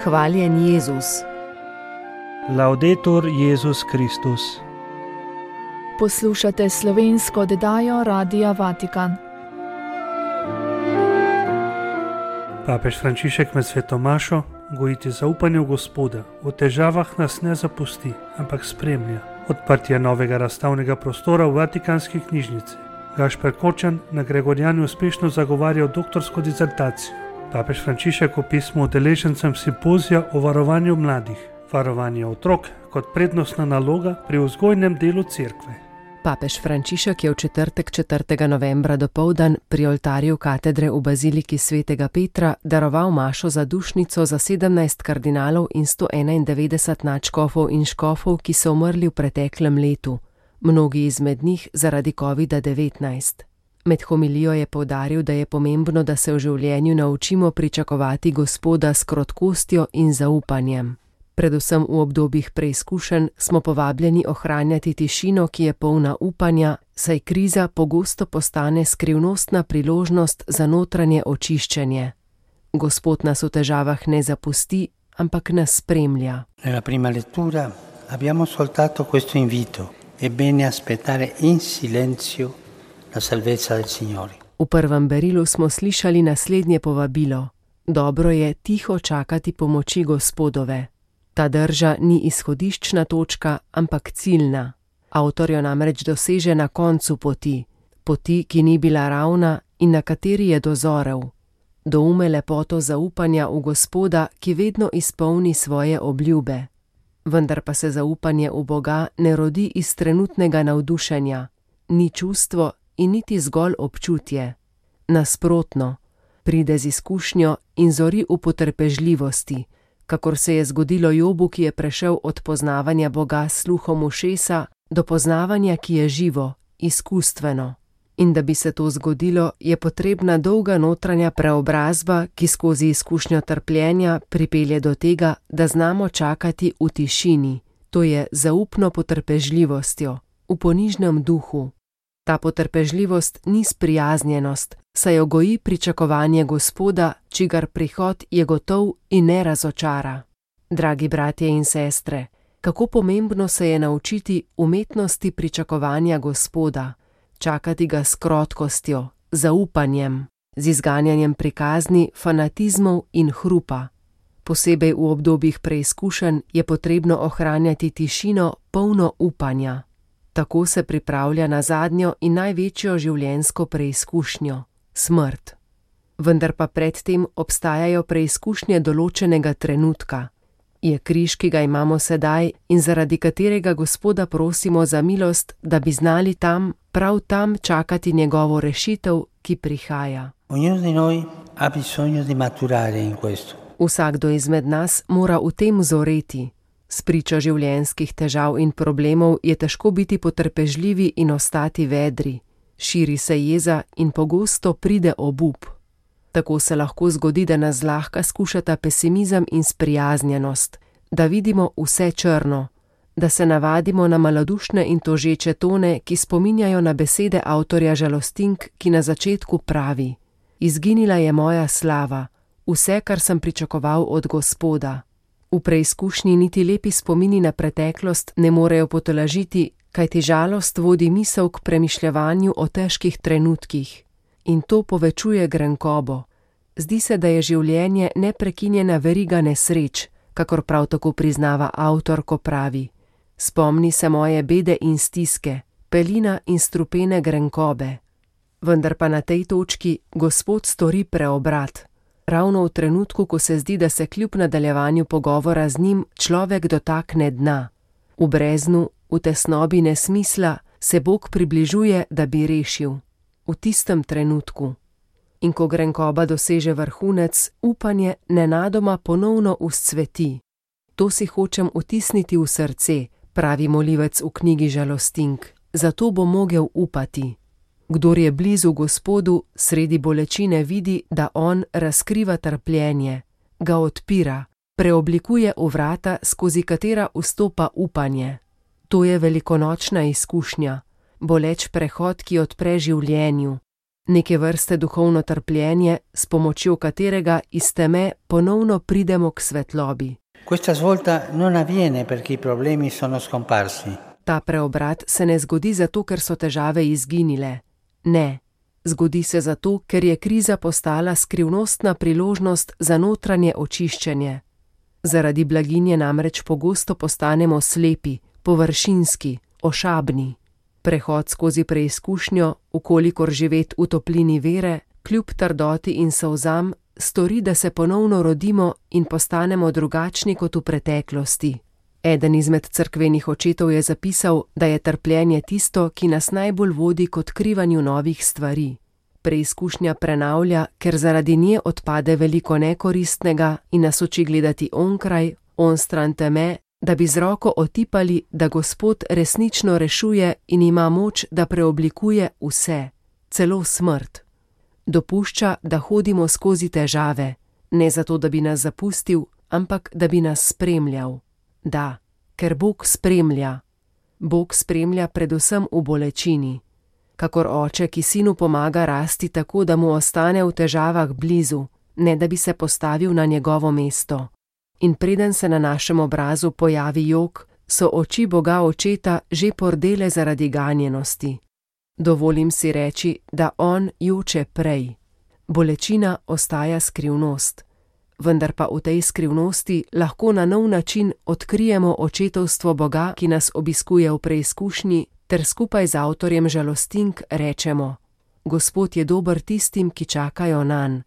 Hvaljen Jezus. Laudetur Jezus Kristus. Poslušate slovensko oddajo Radia Vatikan. Papež Frančišek med sveto mašo gojiti zaupanje v Gospoda. V težavah nas ne zapusti, ampak spremlja. Odprtje novega razstavnega prostora v Vatikanski knjižnici. Gašper Kočan na Gregorijanju uspešno zagovarjal doktorsko disertacijo. Papež Frančišek v pismu udeležencem simpozija o varovanju mladih. Varovanje otrok kot prednostna naloga pri vzgojnem delu cerkve. Papež Frančišek je v četrtek 4. novembra dopoldan pri oltarju katedre v baziliki svetega Petra daroval mašo za dušnico za 17 kardinalov in 191 nadškofov in škofov, ki so umrli v preteklem letu, mnogi izmed njih zaradi COVID-19. Med homilijo je poudaril, da je pomembno, da se v življenju naučimo pričakovati Gospoda s krotkostjo in zaupanjem. Predvsem v obdobjih preizkušenj smo povabljeni ohranjati tišino, ki je polna upanja, saj kriza pogosto postane skrivnostna priložnost za notranje očiščenje. Gospod nas v težavah ne zapusti, ampak nas spremlja. Nella prima lettura abbiamo ascoltato questo invito. È bene aspettare in silenzio la salvezza del Signore. V prvem berilu smo slišali naslednje povabilo. Dobro je tiho čakati pomoči Gospodove. Ta drža ni izhodiščna točka, ampak ciljna. Avtor jo namreč doseže na koncu poti, ki ni bila ravna in na kateri je dozorel. Doume lepoto zaupanja v Gospoda, ki vedno izpolni svoje obljube. Vendar pa se zaupanje v Boga ne rodi iz trenutnega navdušenja, ni čustvo in niti zgolj občutje. Nasprotno, pride z izkušnjo in zori v potrpežljivosti, kakor se je zgodilo Jobu, ki je prešel od poznavanja Boga s sluhom ušesa do poznavanja, ki je živo, izkustveno. In da bi se to zgodilo, je potrebna dolga notranja preobrazba, ki skozi izkušnjo trpljenja pripelje do tega, da znamo čakati v tišini, to je zaupno potrpežljivostjo, v ponižnem duhu. Ta potrpežljivost ni sprijaznjenost, saj jo goji pričakovanje Gospoda, čigar prihod je gotov in ne razočara. Dragi bratje in sestre, kako pomembno se je naučiti umetnosti pričakovanja Gospoda, čakati ga s krotkostjo, zaupanjem, z izganjanjem prikazni, fanatizmov in hrupa. Posebej v obdobjih preizkušenj je potrebno ohranjati tišino, polno upanja. Tako se pripravlja na zadnjo in največjo življenjsko preizkušnjo, smrt. Vendar pa predtem obstajajo preizkušnje določenega trenutka. Je križ, ki ga imamo sedaj in zaradi katerega Gospoda prosimo za milost, da bi znali prav tam čakati njegovo rešitev, ki prihaja. Ognuno di noi ha bisogno di maturare in questo. Vsakdo izmed nas mora v tem zoreti. Spričo življenjskih težav in problemov je težko biti potrpežljivi in ostati vedri. Širi se jeza in pogosto pride obup. Tako se lahko zgodi, da nas zlahka skušata pesimizem in sprijaznjenost, da vidimo vse črno, da se navadimo na malodušne in tožeče tone, ki spominjajo na besede avtorja žalostink, ki na začetku pravi: Izginila je moja slava, vse, kar sem pričakoval od Gospoda. V preizkušnji niti lepi spomini na preteklost ne morejo potolažiti, kajti žalost vodi misel k premišljevanju o težkih trenutkih. In to povečuje grenkobo. Zdi se, da je življenje neprekinjena veriga nesreč, kakor prav tako priznava avtor, ko pravi: Spomni se moje bede in stiske, pelina in strupene grenkobe. Vendar pa na tej točki Gospod stori preobrat. Ravno v trenutku, ko se zdi, da se kljub nadaljevanju pogovora z njim človek dotakne dna. V breznu, v tesnobi nesmisla se Bog približuje, da bi rešil. V tistem trenutku. In ko grenkoba doseže vrhunec, upanje nenadoma ponovno vzcveti. To si hočem vtisniti v srce, pravi molivec v knjigi Žalostink, zato bo mogel upati. Kdor je blizu Gospodu, sredi bolečine vidi, da on razkriva trpljenje, ga odpira, preoblikuje v vrata, skozi katera vstopa upanje. To je velikonočna izkušnja, boleč prehod, ki odpre življenju. neke vrste duhovno trpljenje, s pomočjo katerega iz teme ponovno pridemo k svetlobi. Questa svolta non avviene perché i problemi sono scomparsi. Ta preobrat se ne zgodi zato, ker so težave izginile. Ne, zgodi se zato, ker je kriza postala skrivnostna priložnost za notranje očiščenje. Zaradi blaginje namreč pogosto postanemo slepi, površinski, ošabni. Prehod skozi preizkušnjo, ukolikor živet v toplini vere, kljub trdoti in solzam, stori, da se ponovno rodimo in postanemo drugačni kot v preteklosti. Eden izmed cerkvenih očetov je zapisal, da je trpljenje tisto, ki nas najbolj vodi k odkrivanju novih stvari. Preizkušnja prenavlja, ker zaradi nje odpade veliko nekoristnega in nas uči gledati onkraj, onstran teme, da bi z roko otipali, da Gospod resnično rešuje in ima moč, da preoblikuje vse, celo smrt. Dopušča, da hodimo skozi težave, ne zato, da bi nas zapustil, ampak da bi nas spremljal. Da, ker Bog spremlja. Bog spremlja predvsem v bolečini. Kakor oče, ki sinu pomaga rasti tako, da mu ostane v težavah blizu, ne da bi se postavil na njegovo mesto. In preden se na našem obrazu pojavi jok, so oči Boga očeta že pordele zaradi ganjenosti. Dovolim si reči, da on joče prej. Bolečina ostaja skrivnost. Vendar pa v tej skrivnosti lahko na nov način odkrijemo očetovstvo Boga, ki nas obiskuje v preizkušnji, ter skupaj z avtorjem žalostink rečemo: Gospod je dober tistim, ki čakajo nanj,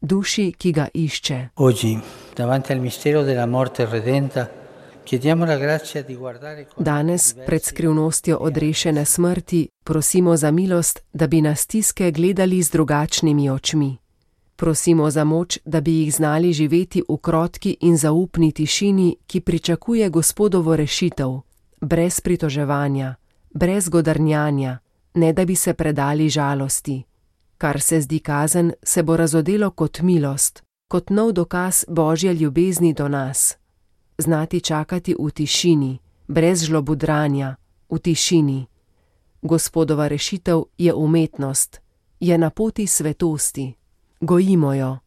duši, ki ga išče. Oggi, davanti al mistero della morte redenta, chiediamo la grazia di guardare. Danes, pred skrivnostjo odrešene smrti, prosimo za milost, da bi na stiske gledali z drugačnimi očmi. Prosimo za moč, da bi jih znali živeti v krotki in zaupni tišini, ki pričakuje Gospodovo rešitev, brez pritoževanja, brez godrnjanja, ne da bi se predali žalosti. Kar se zdi kazen, se bo razodelo kot milost, kot nov dokaz Božje ljubezni do nas. Znati čakati v tišini, brez žlobudrania, v tišini. Gospodova rešitev je umetnost, je na poti svetosti. Gojimo jo.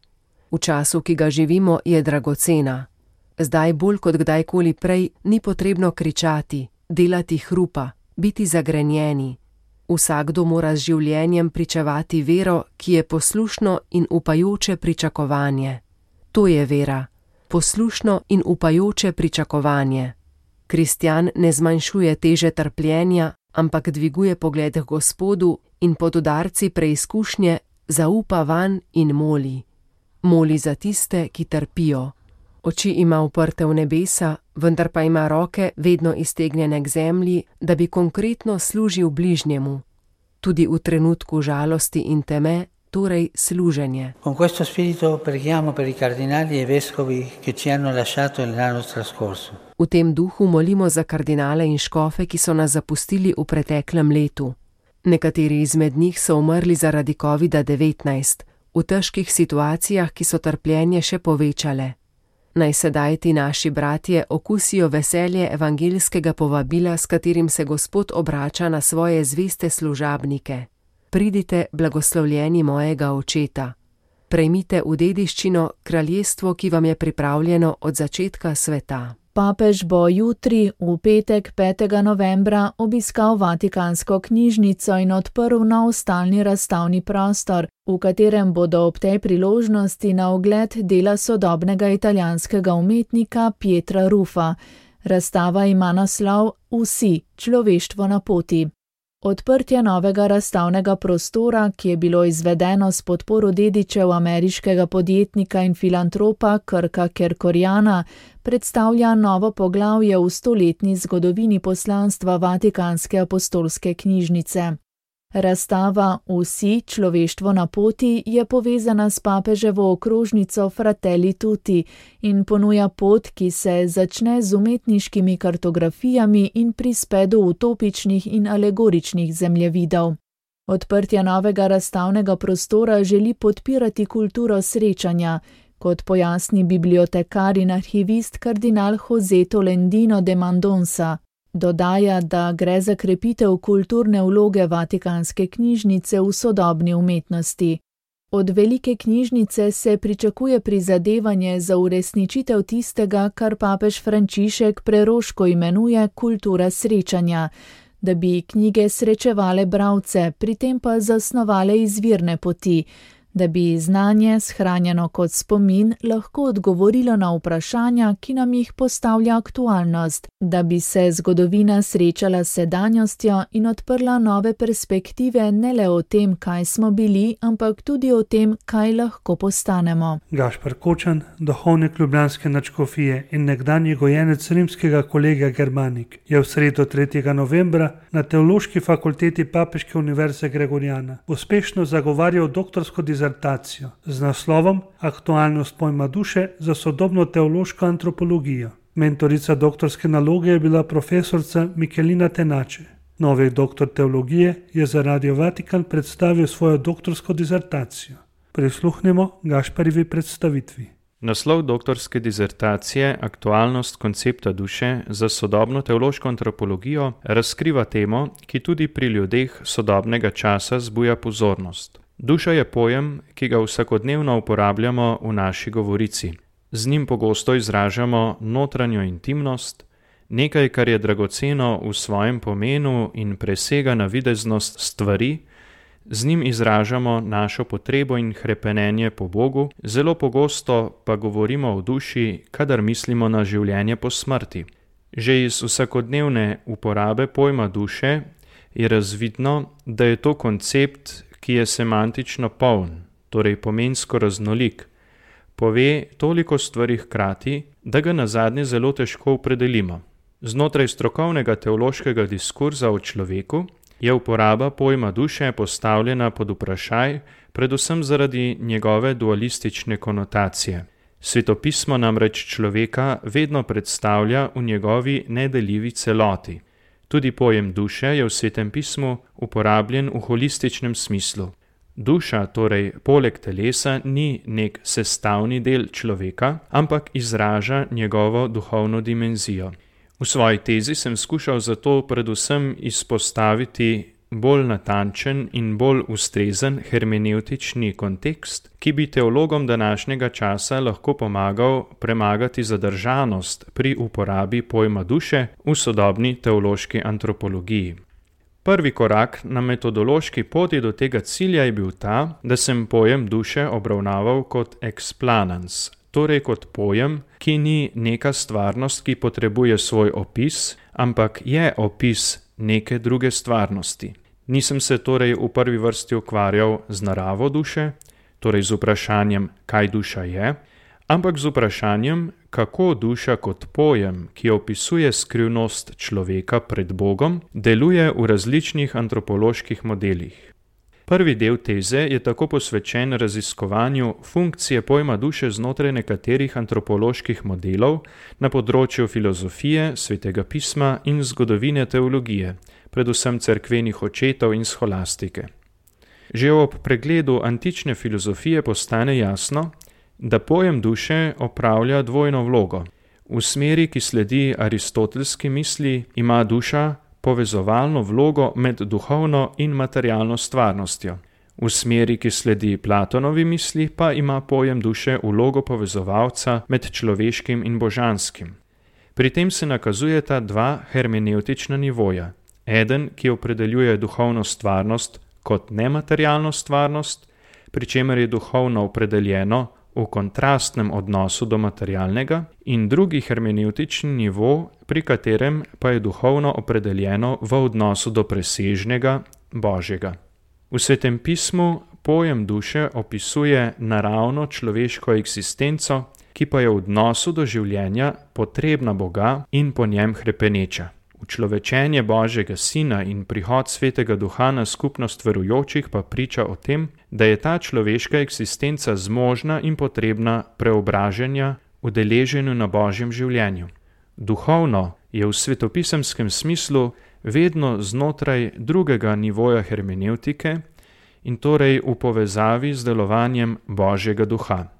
V času, ki ga živimo, je dragocena. Zdaj bolj kot kdajkoli prej ni potrebno kričati, delati hrupa, biti zagrenjeni. Vsakdo mora z življenjem pričevati vero, ki je poslušno in upajoče pričakovanje. To je vera, poslušno in upajoče pričakovanje. Kristjan ne zmanjšuje teže trpljenja, ampak dviguje pogled k Gospodu in pod udarci preizkušnje zaupa vanj in moli. Moli za tiste, ki trpijo. Oči ima uprte v nebesa, vendar pa ima roke vedno iztegnjene k zemlji, da bi konkretno služil bližnjemu. Tudi v trenutku žalosti in teme, torej služenje. Con questo spirito preghiamo per i cardinali e vescovi che ci hanno lasciato l'anno trascorso. V tem duhu molimo za kardinale in škofe, ki so nas zapustili v preteklem letu. Nekateri izmed njih so umrli zaradi COVID-19, v težkih situacijah, ki so trpljenje še povečale. Naj sedaj ti naši bratje okusijo veselje evangeljskega povabila, s katerim se Gospod obrača na svoje zveste služabnike. Pridite, blagoslovljeni mojega očeta. Prejmite v dediščino kraljestvo, ki vam je pripravljeno od začetka sveta. Papež bo jutri, v petek 5. novembra, obiskal Vatikansko knjižnico in odprl nov stalni razstavni prostor, v katerem bodo ob tej priložnosti na ogled dela sodobnega italijanskega umetnika Pietra Ruffa. Razstava ima naslov Vsi, človeštvo na poti. Odprtje novega razstavnega prostora, ki je bilo izvedeno s podporo dedičev ameriškega podjetnika in filantropa Kirka Kerkoriana, predstavlja novo poglavje v 100-letni zgodovini poslanstva Vatikanske apostolske knjižnice. Razstava Vsi, človeštvo na poti je povezana s papeževo okrožnico Fratelli Tutti in ponuja pot, ki se začne z umetniškimi kartografijami in prispe do utopičnih in alegoričnih zemljevidov. Odprtje novega razstavnega prostora želi podpirati kulturo srečanja, kot pojasni bibliotekar in arhivist kardinal José Tolentino de Mendonça. Dodaja, da gre za krepitev kulturne vloge Vatikanske knjižnice v sodobni umetnosti. Od velike knjižnice se pričakuje prizadevanje za uresničitev tistega, kar papež Frančišek preroško imenuje kultura srečanja, da bi knjige srečevale bralce, pri tem pa zasnovale izvirne poti, da bi znanje, shranjeno kot spomin, lahko odgovorilo na vprašanja, ki nam jih postavlja aktualnost, da bi se zgodovina srečala s sedanjostjo in odprla nove perspektive ne le o tem, kaj smo bili, ampak tudi o tem, kaj lahko postanemo. Gašper Kočan, duhovnik ljubljanske nadškofije in nekdanji gojenec rimskega kolegija Germanik, je v sredo 3. novembra na Teološki fakulteti Papeške univerze Gregoriana uspešno zagovarjal doktorsko dizertacijo z naslovom Aktualnost pojma duše za sodobno teološko antropologijo. Mentorica doktorske naloge je bila profesorica Michelina Tenače. Novi doktor teologije je za Radio Vatikan predstavil svojo doktorsko dizertacijo. Prisluhnimo Gašperjevi predstavitvi. Naslov doktorske dizertacije Aktualnost koncepta duše za sodobno teološko antropologijo razkriva temo, ki tudi pri ljudeh sodobnega časa zbuja pozornost. Duša je pojem, ki ga vsakodnevno uporabljamo v naši govorici. Z njim pogosto izražamo notranjo intimnost, nekaj, kar je dragoceno v svojem pomenu in presega navideznost stvari, z njim izražamo našo potrebo in hrepenenje po Bogu, zelo pogosto pa govorimo o duši, kadar mislimo na življenje po smrti. Že iz vsakodnevne uporabe pojma duše je razvidno, da je to koncept, ki je semantično poln, torej pomensko raznolik, pove toliko stvari hkrati, da ga nazadnje zelo težko opredelimo. Znotraj strokovnega teološkega diskurza o človeku je uporaba pojma duše postavljena pod vprašaj, predvsem zaradi njegove dualistične konotacije. Svetopismo namreč človeka vedno predstavlja v njegovi nedeljivi celoti. Tudi pojem duše je v Svetem pismu uporabljen v holističnem smislu. Duša, torej poleg telesa, ni nek sestavni del človeka, ampak izraža njegovo duhovno dimenzijo. V svoji tezi sem skušal zato predvsem izpostaviti bolj natančen in bolj ustrezen hermenevtični kontekst, ki bi teologom današnjega časa lahko pomagal premagati zadržanost pri uporabi pojma duše v sodobni teološki antropologiji. Prvi korak na metodološki poti do tega cilja je bil ta, da sem pojem duše obravnaval kot explanans, torej kot pojem, ki ni neka stvarnost, ki potrebuje svoj opis, ampak je opis neke druge stvarnosti. Nisem se torej v prvi vrsti ukvarjal z naravo duše, torej z vprašanjem, kaj duša je, ampak z vprašanjem, kako duša kot pojem, ki opisuje skrivnost človeka pred Bogom, deluje v različnih antropoloških modelih. Prvi del teze je tako posvečen raziskovanju funkcije pojma duše znotraj nekaterih antropoloških modelov na področju filozofije, svetega pisma in zgodovine teologije, predvsem cerkvenih očetov in scholastike. Že ob pregledu antične filozofije postane jasno, da pojem duše opravlja dvojno vlogo. V smeri, ki sledi aristotelski misli, ima duša povezovalno vlogo med duhovno in materialno stvarnostjo. V smeri, ki sledi Platonovi misli, pa ima pojem duše vlogo povezovalca med človeškim in božanskim. Pri tem se nakazujeta dva hermenevtična nivoja. Eden, ki opredeljuje duhovno stvarnost kot nematerialno stvarnost, pri čemer je duhovno opredeljeno v kontrastnem odnosu do materialnega, in drugi hermenevtični nivo, pri katerem pa je duhovno opredeljeno v odnosu do presežnega, božjega. V Svetem pismu pojem duše opisuje naravno človeško eksistenco, ki pa je v odnosu do življenja potrebna Boga in po njem hrepeneča. Učlovečenje Božjega Sina in prihod Svetega Duha na skupnost verujočih pa priča o tem, da je ta človeška eksistenca zmožna in potrebna preobraženja v deleženju na Božjem življenju. Duhovno je v svetopisemskem smislu vedno znotraj drugega nivoja hermenevtike in torej v povezavi z delovanjem Božjega Duha.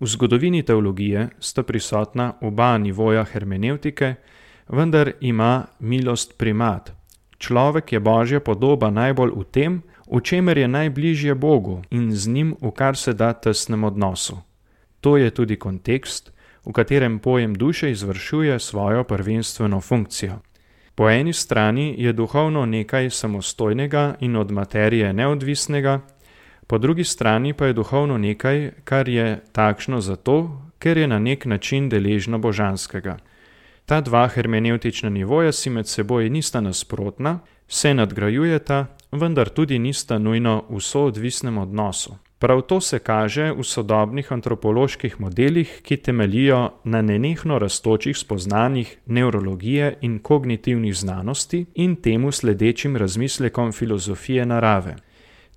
V zgodovini teologije sta prisotna oba nivoja hermenevtike, vendar ima milost primat. Človek je Božja podoba najbolj v tem, v čemer je najbližje Bogu in z njim v kar se da tesnem odnosu. To je tudi kontekst, v katerem pojem duše izvršuje svojo prvenstveno funkcijo. Po eni strani je duhovno nekaj samostojnega in od materije neodvisnega, po drugi strani pa je duhovno nekaj, kar je takšno zato, ker je na nek način deležno božanskega. Ta dva hermenevtična nivoja si med seboj nista nasprotna, se nadgrajujeta, vendar tudi nista nujno v soodvisnem odnosu. Prav to se kaže v sodobnih antropoloških modelih, ki temeljijo na nenehno rastočih spoznanjih nevrologije in kognitivnih znanosti in temu sledečim razmislekom filozofije narave.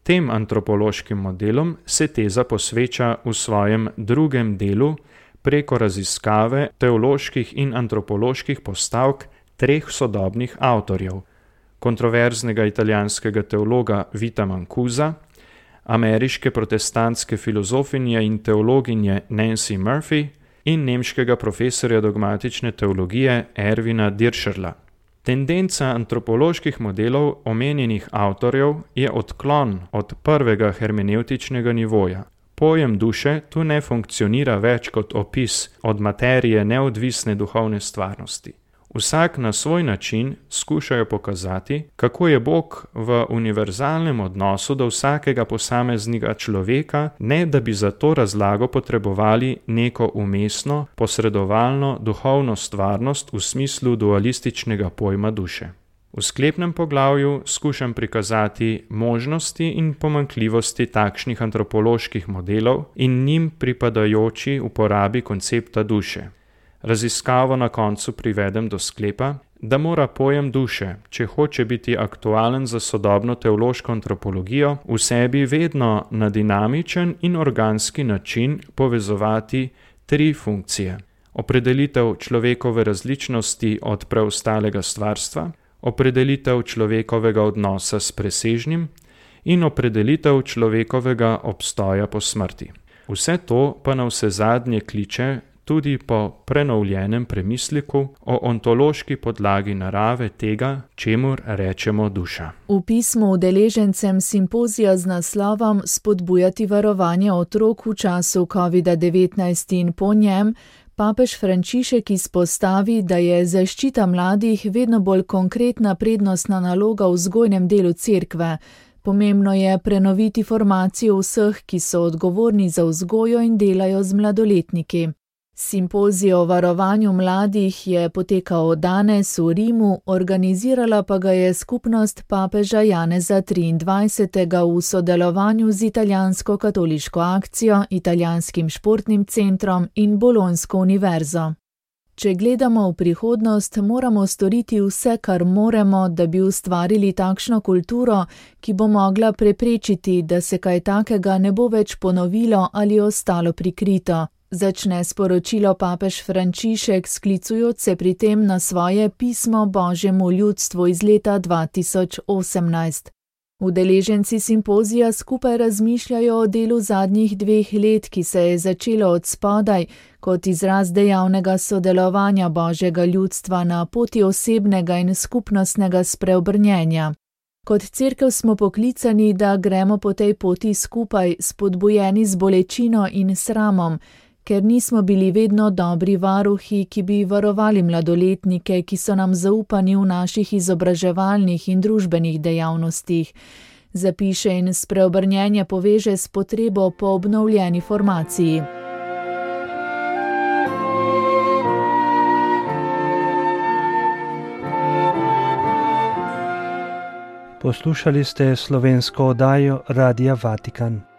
Tem antropološkim modelom se teza posveča v svojem drugem delu preko raziskave teoloških in antropoloških postavk treh sodobnih avtorjev: kontroverznega italijanskega teologa Vita Mancusa, ameriške protestantske filozofinje in teologinje Nancy Murphy in nemškega profesorja dogmatične teologije Erwina Dirscherla. Tendenca antropoloških modelov omenjenih avtorjev je odklon od prvega hermenevtičnega nivoja. Pojem duše tu ne funkcionira več kot opis od materije neodvisne duhovne stvarnosti. Vsak na svoj način skušajo pokazati, kako je Bog v univerzalnem odnosu do vsakega posameznega človeka, ne da bi za to razlago potrebovali neko umestno, posredovalno duhovno stvarnost v smislu dualističnega pojma duše. V sklepnem poglavju skušam prikazati možnosti in pomanjkljivosti takšnih antropoloških modelov in njim pripadajoči uporabi koncepta duše. Raziskavo na koncu privedem do sklepa, da mora pojem duše, če hoče biti aktualen za sodobno teološko antropologijo, v sebi vedno na dinamičen in organski način povezovati tri funkcije: opredelitev človekove različnosti od preostalega stvarstva, opredelitev človekovega odnosa s presežnim in opredelitev človekovega obstoja po smrti. Vse to pa navsezadnje kliče tudi po prenovljenem premisleku o ontološki podlagi narave tega, čemur rečemo duša. V pismu udeležencem simpozija z naslovom Spodbujati varovanje otrok v času COVID-19 in po njem papež Frančišek izpostavi, da je zaščita mladih vedno bolj konkretna prednostna naloga v vzgojnem delu cerkve. Pomembno je prenoviti formacijo vseh, ki so odgovorni za vzgojo in delajo z mladoletniki. Simpozij o varovanju mladih je potekal danes v Rimu, organizirala pa ga je skupnost papeža Janeza 23. v sodelovanju z Italijansko katoliško akcijo, Italijanskim športnim centrom in Bolonjsko univerzo. Če gledamo v prihodnost, moramo storiti vse, kar moremo, da bi ustvarili takšno kulturo, ki bo mogla preprečiti, da se kaj takega ne bo več ponovilo ali ostalo prikrito. Začne sporočilo papež Frančišek, sklicujoč se pri tem na svoje pismo Božjemu ljudstvu iz leta 2018. Udeleženci simpozija skupaj razmišljajo o delu zadnjih 2 let, ki se je začelo od spodaj, kot izraz dejavnega sodelovanja Božjega ljudstva na poti osebnega in skupnostnega spreobrnjenja. Kot cerkev smo poklicani, da gremo po tej poti skupaj, spodbujeni z bolečino in sramom, ker nismo bili vedno dobri varuhi, ki bi varovali mladoletnike, ki so nam zaupani v naših izobraževalnih in družbenih dejavnostih. Zapiše in spreobrnjenje poveže s potrebo po obnovljeni formaciji. Poslušali ste slovensko oddajo Radia Vatikan.